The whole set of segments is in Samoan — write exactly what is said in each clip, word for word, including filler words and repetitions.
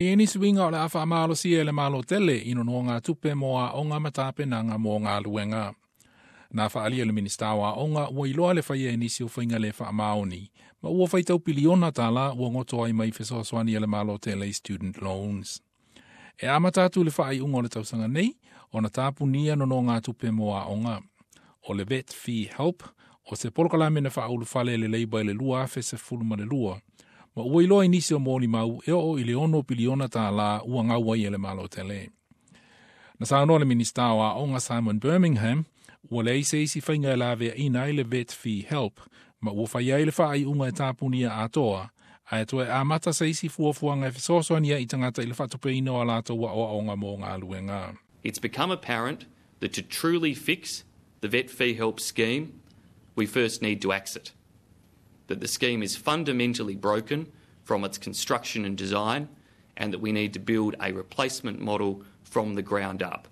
I nisi uiga o le a faamalosia e le Malo tele i nonogatupe mo aoga ma tapenaga mo galuega. Na faaalia e le Minisita o Aoga ua iloa le faia e nisi o faiga le faamaoni, ma ua faitau piliona tālā ua goto ai mai fesoasoani a le Malo tele i student loans. E amata atu le faaiuga o le tausaga nei, ona tapunia nonogatupe mo aoga. O le VET Fee Help, o se polokalame na faaulufale e le Labour i le lua afe sefulu ma le lua, ma ua iloa i nisi o molimau e oo i le ono piliona tālā ua gau ai e le Malo tele. Na saunoa le Minisita o Aoga Simon Birmingham, ua leai se isi faiga e laveaina ai le VET Fee Help, ma ua fai ai le faaiuga e tapunia atoa, ae toe amata se isi fuafuaga e fesoasoani ai i tagata i le faatupeina o a latou aoaoga mo galuega. It's become apparent that to truly fix the VET Fee Help scheme, we first need to axe it. That the scheme is fundamentally broken from its construction and design, and that we need to build a replacement model from the ground up.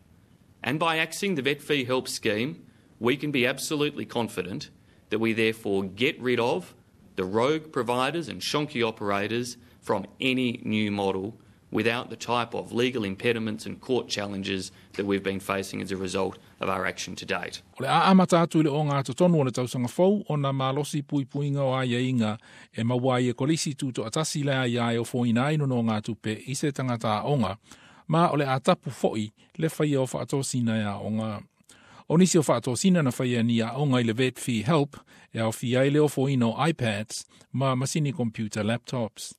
And by axing the VET Fee Help scheme, we can be absolutely confident that we therefore get rid of the rogue providers and shonky operators from any new model without the type of legal impediments and court challenges that we've been facing as a result of our action to date. O le a amata atu i le ogatotonu o le tausaga fou ona malosi puipuiga o aiaiga e maua ai e kolisi tutoatasi le aia e ofoina ai nonogatupe i se tagata aoga, ma o le a tapu foi le faia o faatosina e aoga. O nisi o faatosina na faia ni aoga i le VET Fee Help e aofia ai le ofoina o iPads ma masini computer laptops.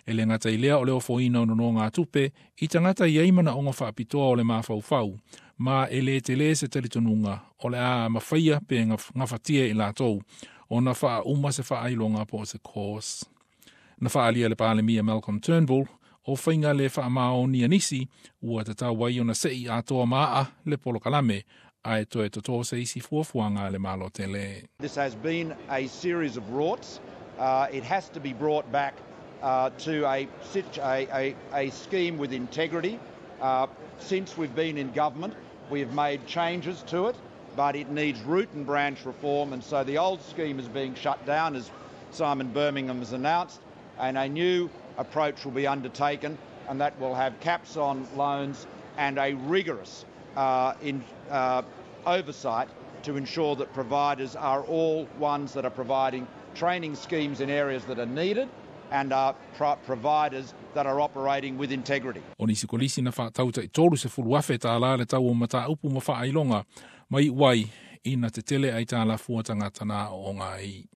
E le gata i lea o le ofoina o nonogatupe i tagata i ai manaoga faapitoa o le mafaufau, ma e le tele se talitonuga o le a mafaia pe gafatia i latou ona faauma se faailoga po o se course. Na faaalia le Palemia Malcolm Turnbull o faiga le faamaoni a nisi ua tatau ai ona sei atoa maa le polokalame ae toe totō se isi fuafuaga a le Malo tele. This has been a series of rorts. Uh, it has to be brought back uh, to a, a, a, a scheme with integrity. Uh, since we've been in government, we have made changes to it, but it needs root and branch reform, and so the old scheme is being shut down, as Simon Birmingham has announced, and a new approach will be undertaken, and that will have caps on loans and a rigorous uh, in, uh, oversight to ensure that providers are all ones that are providing training schemes in areas that are needed and are pro providers that are operating with integrity. O nisi kolisi na faatau tai tolu sefulu afe tālā le tau o mataupu ma faailoga, mai wai ina te tele ai tā la fua tagata na o ngai.